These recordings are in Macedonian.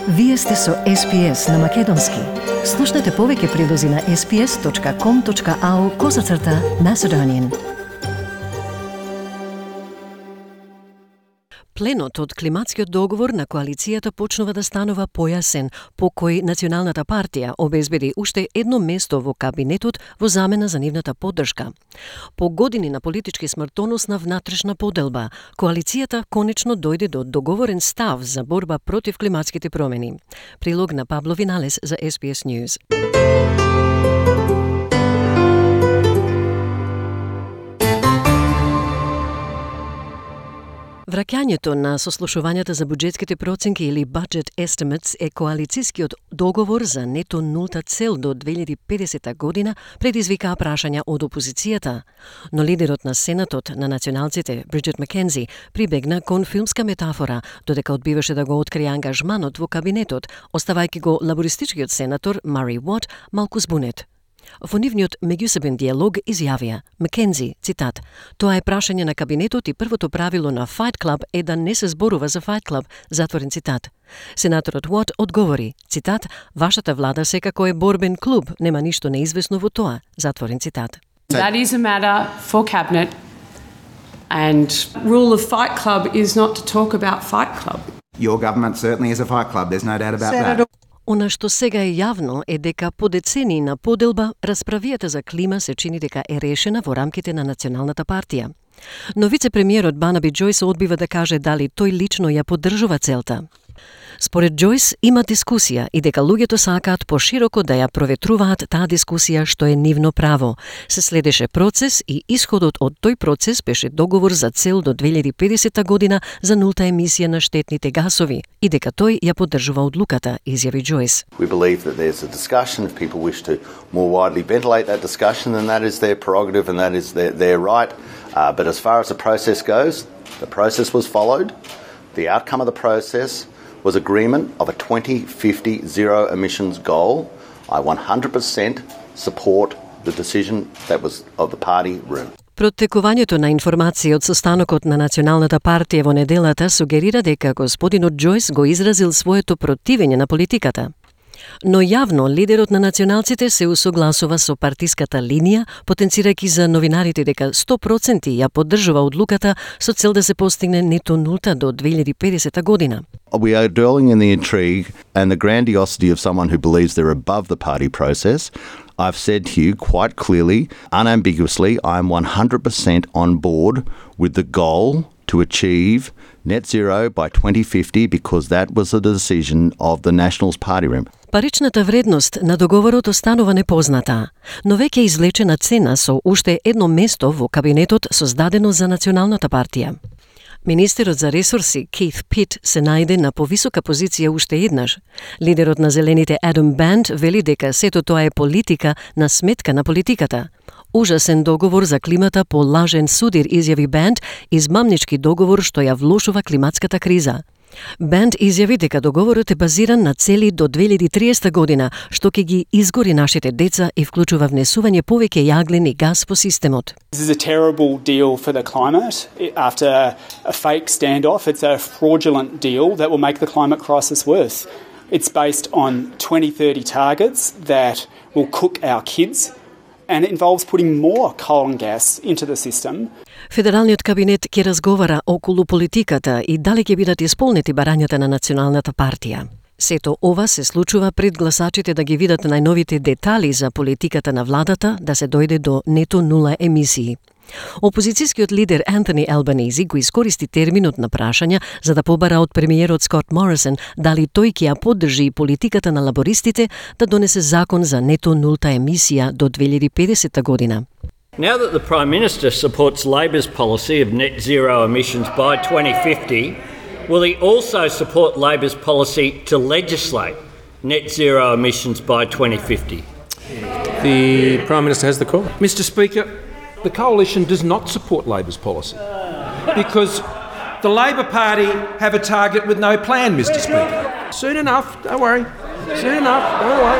Вие сте со SPS на Македонски. Слушнете повеќе прилози на sps.com.au/Macedonian. Пленот од климатскиот договор на коалицијата почнува да станува појасен, по кој Националната партија обезбеди уште едно место во кабинетот во замена за нивната поддршка. По години на политички смртоносна внатрешна поделба, коалицијата конечно дојде до договорен став за борба против климатските промени. Прилог на Пабло Виналес за SBS News. Враќањето на сослушувањата за буџетските проценки или budget estimates е коалицискиот договор за нето нулта цел до 2050 година предизвика прашања од опозицијата. Но лидерот на Сенатот на националците, Бриджит Маккензи, прибегна кон филмска метафора, додека одбиваше да го открие ангажманот во кабинетот, оставајќи го лабористичкиот сенатор Мари Уот малку збунет. Во нивниот меѓусебен диалог изјавија Маккензи, цитат: "Тоа е прашање на кабинетот и првото правило на Fight Club е да не се зборува за Fight Club", затворен цитат. Сенаторот Уот одговори, цитат: "Вашата влада секако е борбен клуб, нема ништо неизвестно во тоа", затворен цитат. That is a matter for Cabinet, and rule of Fight Club is not to talk about Fight Club. Your government certainly is a fight club, there's no doubt about that. Она што сега е јавно е дека по децении на поделба расправијата за клима се чини дека е решена во рамките на Националната партија. Но вице-премиерот Барнаби Џојс одбива да каже дали тој лично ја поддржува целта. Според Џојс има дискусија и дека луѓето сакаат пошироко да ја проветруваат таа дискусија што е нивно право. Се следеше процес и исходот од тој процес беше договор за цел до 2050 година за нулта емисија на штетните гасови и дека тој ја поддржува одлуката, изјави Џојс. We believe that there's a discussion. If people wish to more widely ventilate that discussion, then that is their prerogative and that is their right. But as far as the process goes, the process was followed. The outcome of the process was agreement of a 2050 zero emissions goal. I 100% support the decision that was of the party room. Протекувањето на информација од состанокот на Националната партија во неделата сугерира дека господинот Џојс го изразил своето противење на политиката. Но јавно лидерот на националците се усогласува со партиската линија, потенцирајќи за новинарите дека 100% ја поддржува одлуката со цел да се постигне нето нулта до 2050 година. We are dwelling in the intrigue and the grandiosity of someone who believes they're above the party process. I've said to you quite clearly, unambiguously, I'm 100% on board with the goal to achieve net zero by 2050 because that was the decision of the Nationals Party room. Паричната вредност на договорот останува непозната, но веќе извлечена цена со уште едно место во кабинетот создадено за Националната партија. Министерот за ресурси Кейт Пит се најде на повисока позиција уште еднаш. Лидерот на Зелените Адам Банд вели дека сето тоа е политика на сметка на политиката. Ужасен договор за климата по лажен судир, изјави Банд, измамнички договор што ја влошува климатската криза. Банд изјави дека договорот е базиран на цели до 2030 година, што ќе ги изгори нашите деца и вклучува внесување повеќе јаглени газ во системот. This is a terrible deal for the climate. After a fake standoff, it's a fraudulent deal that will make the climate crisis worse. It's based on 2030 targets that will cook our kids, and it involves putting more coal and gas into the system. Федералниот кабинет ќе разговара околу политиката и дали ќе бидат исполнети барањата на Националната партија. Сето ова се случува пред гласачите да ги видат најновите детали за политиката на владата да се дојде до нето нула емисии. Опозицијскиот лидер Антони Албанези го искористи терминот на прашања за да побара од премиерот Скот Морисон дали тој ќе ја поддржи политиката на лабористите да донесе закон за нето нулта емисија до 2050 година. Now that the Prime Minister supports Labor's policy of net zero emissions by 2050, will he also support Labor's policy to legislate net zero emissions by 2050? The Prime Minister has the call. Mr. Speaker, the Coalition does not support Labor's policy because the Labor Party have a target with no plan, Mr. Speaker. Soon enough, don't worry. Soon enough, don't worry.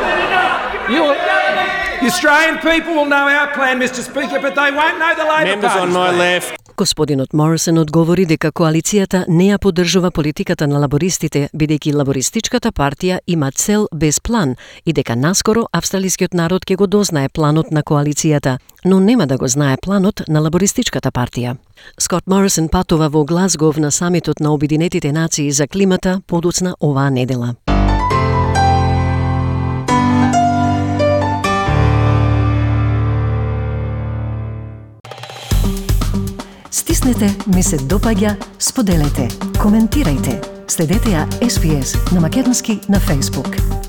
The Australian people will know our plan, Mr. Speaker, but they won't know the Labor Party's plan. Members on my left. Господинот Морисон одговори дека коалицијата не ја поддржува политиката на лабористите, бидејќи лабористичката партија има цел без план и дека наскоро австралискиот народ ќе го дознае планот на коалицијата, но нема да го знае планот на лабористичката партија. Скот Морисон патува во Глазгов на самитот на Обединетите нации за климата подоцна оваа недела. Стиснете, ми се допаѓа, споделете, коментирајте. Следете ја SPS на Македонски на Facebook.